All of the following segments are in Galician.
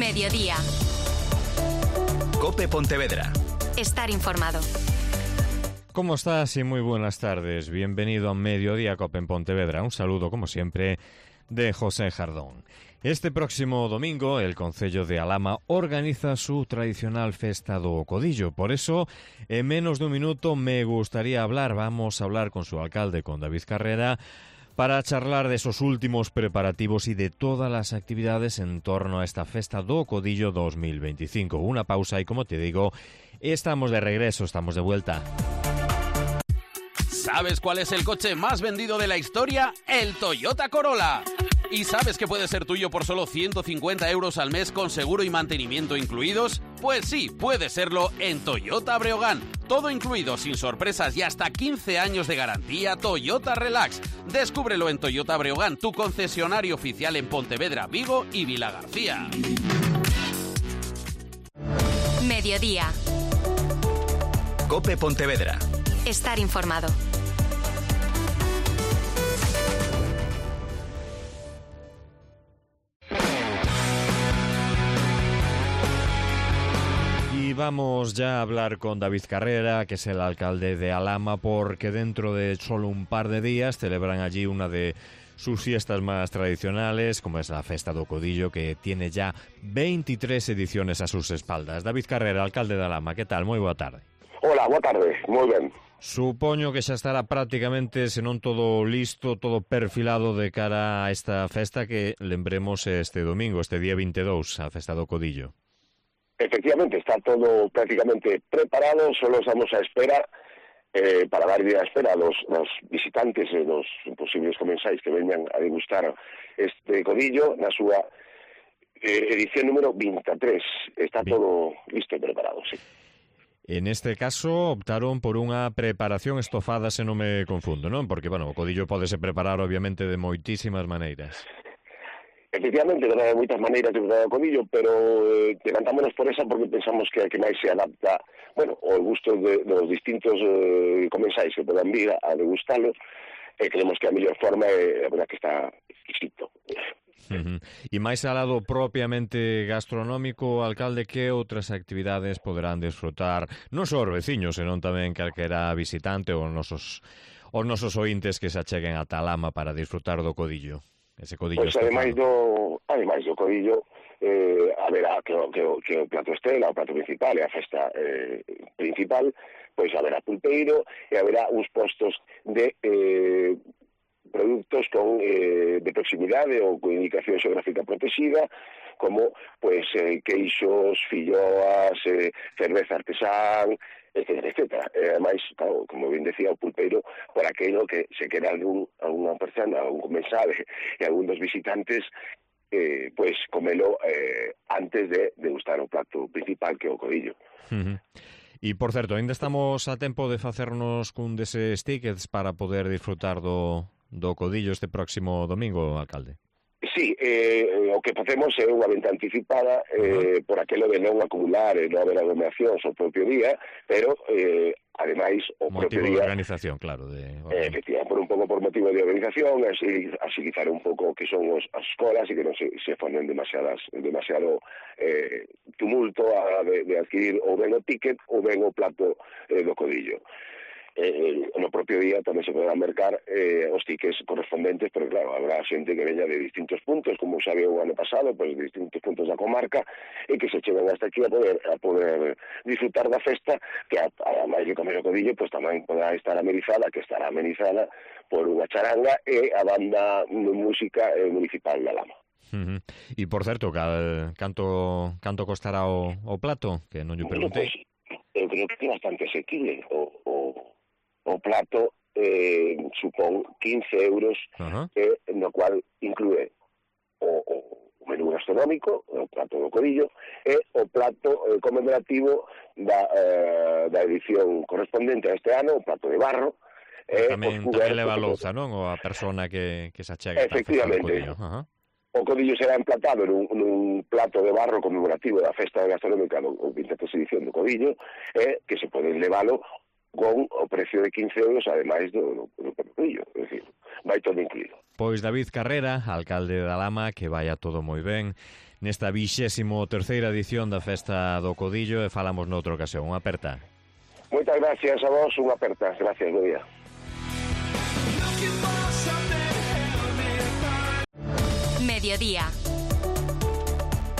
Mediodía. COPE Pontevedra. Estar informado. ¿Cómo estás? Y muy buenas tardes. Bienvenido a Mediodía COPE en Pontevedra. Un saludo, como siempre, de José Jardón. Este próximo domingo, el Concello de Alhama organiza su tradicional Festa do Codillo. Por eso, en menos de un minuto me gustaría vamos a hablar con su alcalde, con David Carrera, para charlar de esos últimos preparativos y de todas las actividades en torno a esta Festa do Codillo 2025. Una pausa y, como te digo, estamos de regreso, estamos de vuelta. ¿Sabes cuál es el coche más vendido de la historia? El Toyota Corolla. ¿Y sabes que puede ser tuyo por solo 150 euros al mes con seguro y mantenimiento incluidos? Pues sí, puede serlo en Toyota Breogán. Todo incluido, sin sorpresas y hasta 15 años de garantía. Toyota Relax. Descúbrelo en Toyota Breogán, tu concesionario oficial en Pontevedra, Vigo y Vilagarcía. Mediodía. COPE Pontevedra. Estar informado. Y vamos ya a hablar con David Carrera, que es el alcalde de Alhama, porque dentro de solo un par de días celebran allí una de sus fiestas más tradicionales, como es la Festa do Codillo, que tiene ya 23 ediciones a sus espaldas. David Carrera, alcalde de Alhama, que tal? Moi boa tarde. Hola, boa tarde, moi ben. Supoño que xa estará prácticamente, se non todo listo, todo perfilado de cara a esta festa que lembremos este domingo, este día 22, a Festa do Codillo. Efectivamente, está todo prácticamente preparado, solo estamos a espera para dar a espera a los visitantes e los posibles comensais que veñan a degustar este codillo na súa edición número 23. Está todo listo e preparado, sí. En este caso optaron por unha preparación estofada, se non me confundo, non? Porque, bueno, o codillo podese preparar obviamente de moitísimas maneiras. Efectivamente, hai moitas maneiras de preparar o codillo, pero decantámonos por esa porque pensamos que a que máis se adapta, bueno, ao gusto dos distintos comensais que podan vir a degustalo, e creemos que a mellor forma é a verdad que está exquisito. E máis alado propiamente gastronómico, alcalde, que outras actividades poderán disfrutar non só os veciños, senón tamén calquera visitante ou os nosos ointes que se acheguen a Alhama para disfrutar do codillo? Ese codillo pois ademais do codillo haberá que o plato estrela, o plato principal e a festa principal, pois haberá pulpeiro e haberá uns postos de produtos de proximidade ou con indicación xeográfica protegida, como pois queixos, filloas, cerveza artesán, etcétera, etcétera. Ademais, claro, como ben decía, o pulpeiro, por aquello que se queda alguna persona, algún comensal e algún dos visitantes, pois comelo antes de degustar o plato principal, que é o codillo. E, por certo, ainda estamos a tempo de facernos cun deses tickets para poder disfrutar do codillo este próximo domingo, alcalde? Sí, o que facemos é unha venta anticipada por aquelo de non acumular e non haber aglomeracións o propio día, pero ademais o propio día... Motivo de organización, claro. Efectivamente, por motivo de organización, agilizar un pouco que son as escolas e que non se formen demasiado tumulto de adquirir ou ben o ticket ou ben o plato do codillo. No propio día tamén se poderán mercar os tickets correspondentes, pero claro, habrá xente que veña de distintos puntos, como xa veo o ano pasado, pois de distintos puntos da comarca, e que se chegan hasta aquí a poder disfrutar da festa, que ademais de comer o codillo, pois tamén poderá estar amenizada, que estará amenizada por unha charanga e a banda de música municipal de Alhama. E, por certo, canto costará o plato? Que non lle preguntei. Pues, eu creo que é bastante asequible. O plato supón 15 euros, no cual inclúe o menú gastronómico, o plato do codillo, e o plato conmemorativo da edición correspondente a este ano, o plato de barro. Tamén leva louza, non? Ou a persona que se achega. Efectivamente. O codillo será emplatado nun plato de barro conmemorativo da festa gastronómica do 23 edición do codillo, que se pode levalo con o precio de 15 euros, ademais do carrillo, é dicir, vai todo incluído. Pois David Carrera, alcalde da Lama, que vaya todo moi ben nesta 23ª edición da Festa do Codillo, e falamos noutra ocasión. Unha aperta. Moitas gracias a vos, unha aperta. Gracias, bo día. Mediodía.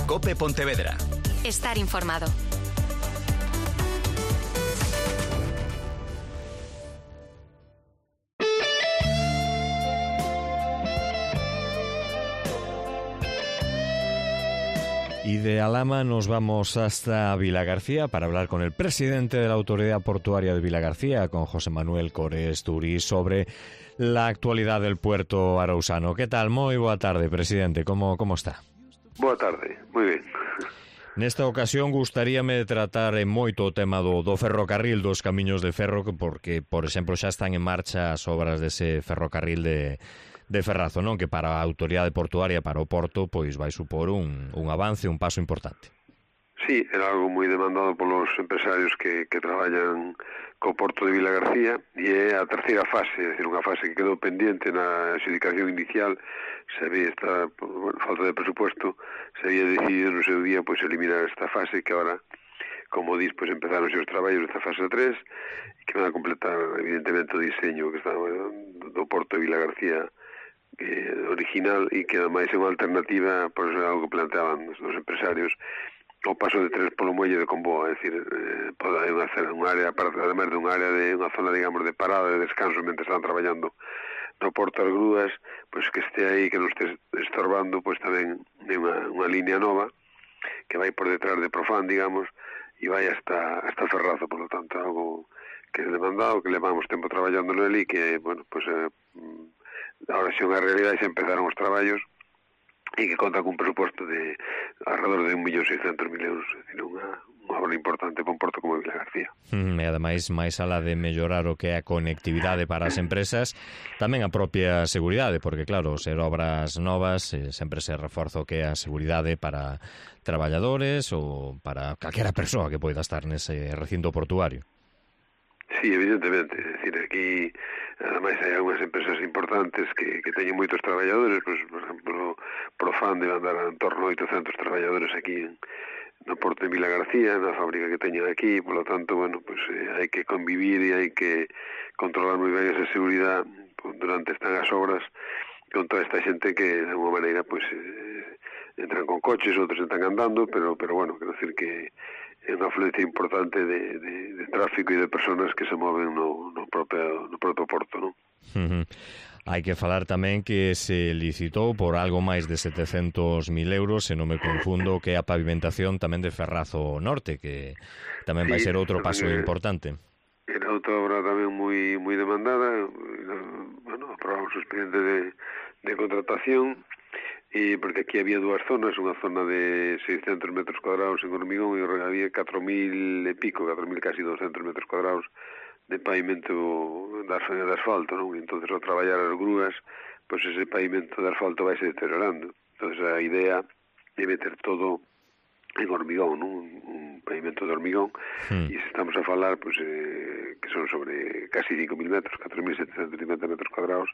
COPE Pontevedra. Estar informado. Y de Alhama nos vamos hasta Vilagarcía para hablar con el presidente de la Autoridad Portuaria de Vilagarcía, con José Manuel Cores Turís, sobre la actualidad del puerto arousano. ¿Qué tal? Moi boa tarde, presidente. ¿Cómo está? Boa tarde, moi ben. Nesta ocasión gustaríame tratar moito o tema do ferrocarril, dos camiños de ferro, porque, por exemplo, xa están en marcha as obras dese ferrocarril de Ferrazo, non? Que para a autoridade portuaria, para o Porto, pois vai supor un avance, un paso importante. Sí, era algo moi demandado polos empresarios que traballan co Porto de Vilagarcía, e é a terceira fase, é dicir, unha fase que quedou pendiente na adxudicación inicial. Se había falta de presupuesto, se había decidido no seu día pois eliminar esta fase, que agora, como dis, pois empezaron os traballos desta fase 3, e que van a completar evidentemente o diseño que está do Porto de Vilagarcía original, e que ademais é unha alternativa, por eso é algo que planteaban os empresarios, o paso de tren polo muelle de Comboa, é dicir, pode hacer unha área, ademais de unha área de unha zona, digamos, de parada, de descanso, mentre están traballando no Porto das Grúas, pois que este aí, que non este estorbando, pois tamén é unha línea nova que vai por detrás de Profan, digamos, e vai hasta Ferrazo, por lo tanto, algo que é demandado, que levamos tempo traballando nele, e que, bueno, pois ahora xa unha realidade, xa empezaron os traballos, e que conta cun presuposto de alrededor de 1.600.000 euros, é dicir, unha obra importante para un porto como Vilagarcía. E ademais, máis alá de mellorar o que é a conectividade para as empresas, tamén a propia seguridade, porque claro, ser obras novas sempre se reforza o que é a seguridade para traballadores ou para calquera persoa que poida estar nese recinto portuario. Sí, evidentemente, é dicir, aquí ademais hai algunhas empresas importantes que teñen moitos traballadores, pues, por exemplo, Profan debe andar en torno a 800 traballadores aquí no Porto de Vilagarcía, na fábrica que teñen aquí, por lo tanto, bueno, pues hai que convivir e hai que controlar moi ben esa seguridade durante están as obras con toda esta xente que, de alguma maneira, pues entran con coches, outros están andando, pero bueno, quero decir que é unha afluencia importante de tráfico e de personas que se moven no propio porto, non? Hai que falar tamén que se licitou por algo máis de 700.000 euros, se non me confundo, que é a pavimentación tamén de Ferrazo Norte, que tamén vai ser outro paso importante. Era outra obra tamén moi demandada. Bueno, aprobamos o expediente de contratación, e porque aquí había dúas zonas, unha zona de 600 metros cuadrados en hormigón, e había 4.000 e pico, 4.000 casi 200 metros cuadrados de pavimento de asfalto, non? Entonces, ao traballar as grúas, pois ese pavimento de asfalto vai se deteriorando. Entonces, a idea é meter todo en hormigón, non? Un pavimento de hormigón, e se estamos a falar, pois, que son sobre casi 5.000 metros, 4.750 metros cuadrados,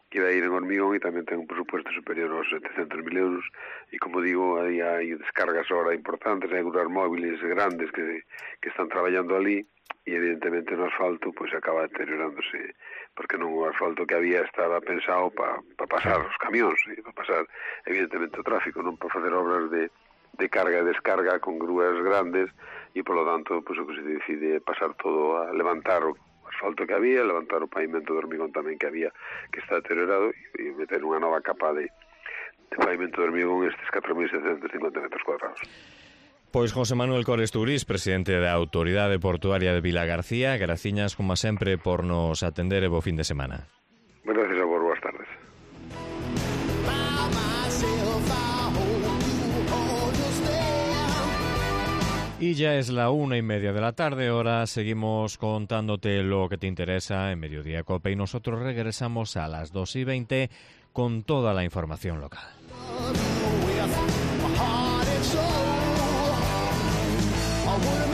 que vai ir en hormigón, e tamén ten un presupuesto superior aos 700.000 euros, e como digo, hai descargas ahora importantes, hai grúas móviles grandes que están traballando ali, e evidentemente no asfalto pois acaba deteriorándose, porque non o asfalto que había estaba pensado para pasar os camións, e para pasar evidentemente o tráfico, non para facer obras de carga e descarga con grúas grandes, e polo tanto pois o que se decide é pasar todo a levantar o asfalto que había, levantar o pavimento de hormigón tamén que había, que está deteriorado, e meter unha nova capa de pavimento de hormigón estes 4.750 metros cuadrados. Pois José Manuel Cores Turís, presidente da Autoridade Portuaria de Vilagarcía, graciñas como sempre por nos atender e bo fin de semana. Gracias a vos, boas tardes. Y ya es la 1:30 de la tarde, ahora seguimos contándote lo que te interesa en Mediodía Cope, y nosotros regresamos a las 2:20 con toda la información local. I